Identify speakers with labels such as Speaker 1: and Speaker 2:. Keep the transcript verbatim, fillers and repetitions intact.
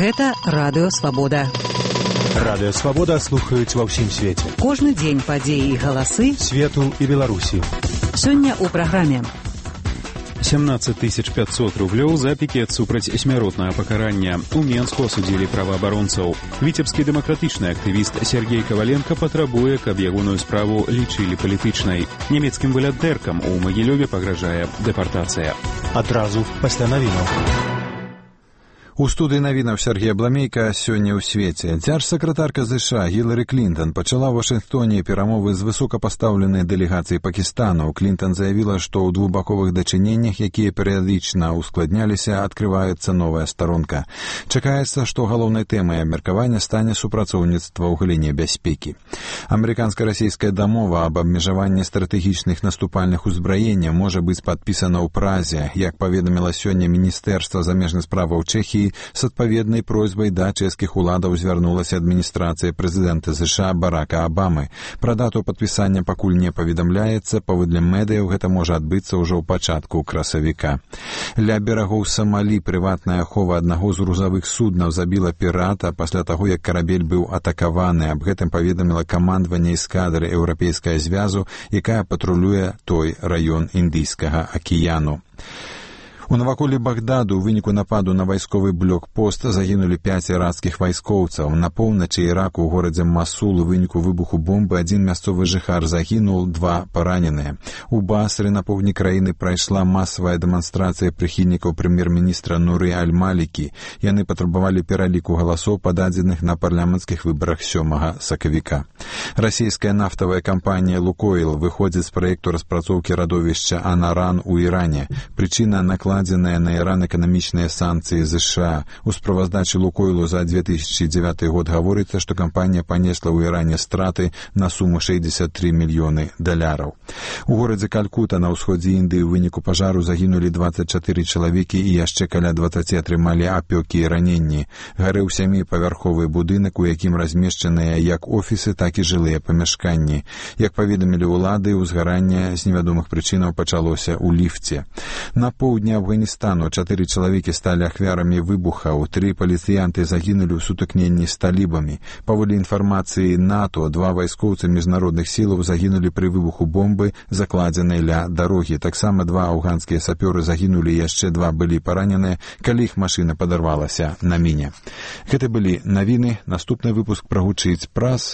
Speaker 1: Гэта Радыё Свабода.
Speaker 2: Радыё Свабода слухаюць ва ўсім свеце.
Speaker 1: Кожны дзень падзеі і галасы
Speaker 2: свету і Беларусі.
Speaker 1: Сёння ў праграме.
Speaker 3: семнадцать тысяч пятьсот рублёў за пікет супраць смяротнага пакарання. У Менску асудзілі праваабаронцаў. Віцебскі дэмакратычны актывіст Сергей Коваленко патрабуе, каб ягоную справу лічылі палітычнай. Нямецкім валянтэркам у Магілёве пагражае дэпартацыя.
Speaker 2: Адразу пасля навінаў.
Speaker 4: У студыі навінаў Сергея Бламейка сёння ў свеце. Дзяржсакратарка ЗША Гілары Клінтон пачала ў Вашынгтоне перамовы з высокапастаўленай дэлегацыяй Пакістану. Клінтон заявіла, што ў двухбаковых дачыненнях, якія перыядычна ускладняліся, адкрываецца новая старонка. Чакаецца, што галоўнай тэмай абмеркавання стане супрацоўніцтва ў галіне бяспекі. Амерыканска-расійская дамова аб абмежаванні стратэгічных наступальных узбраенняў можа быць падпісана ў Празе. Як паведаміла сёння Міністэрства замежных справаў Чэхіі, с адпаведнай просьбай да чэшскіх уладаў звярнулася адміністрацыя прэзідэнта ЗША Барака Абамы. Пра дату падпісання пакуль не паведамляецца, паводле медыяў гэта можа адбыцца ўжо ў пачатку красавіка. Ля берагоў Самалі прыватная ахова аднаго з грузавых суднаў забіла пірата пасля таго, як карабель быў атакаваны. Аб гэтым паведаміла камандаванне эскадры Еўрапейскага звязу, якая патрулюе той раён Індыйскага акіяну. У наваколлі Багдаду ў выніку нападу на вайсковы блокпост загінулі пяць іракскіх вайскоўцаў. На поўначы Іраку ў горадзе Масул у выніку выбуху бомбы адзін мясцовы жыхар загінуў, два параненыя. У Басры на поўдні краіны прайшла масавая дэманстрацыя прыхільнікаў прэм'ер-міністра Нуры Аль-Малікі. Яны патрабавалі пераліку галасоў, пададзеных на парламенцкіх выбарах сёмага сакавіка. Расійская нафтавая кампанія «Лукойл» выходзіць з праекту распрацоўкі радовішча «Анаран» у Іране. Прычына накладзеная накладзеныя на Іран эканамічныя санкцыі ЗША. У справаздачы «Лукойлу» за две тысячи девятый год гаворыцца, што кампанія панесла ў Іране страты на суму шэсцьдзесят тры мільёны даляраў. У горадзе Калькута на ўсходзе Індыі ў выніку пажару загінулі дваццаць чатыры чалавекі і яшчэ каля дваццаці атрымалі апёкі і раненні. Гарэў сяміпавярховы будынак, у якім размешчаныя як офісы, так і жылыя памяшканні. Як паведамілі ўлады, узгаранне з невядомых прычынаў пачалося ў ліфце. На поўдні Афганістану чатыры чалавекі сталі ахвярамі выбухаў, тры паліцыянты загінулі ў сутыкненні з талібамі. Паводле інфармацыі НАТО, два вайскоўцы міжнародных сілаў загінулі пры выбуху бомбы, закладзенай ля дарогі. Таксама два афганскія сапёры загінулі, яшчэ два былі параненыя, калі іх машына падарвалася на міне. Гэта былі навіны. Наступны выпуск прагучыць праз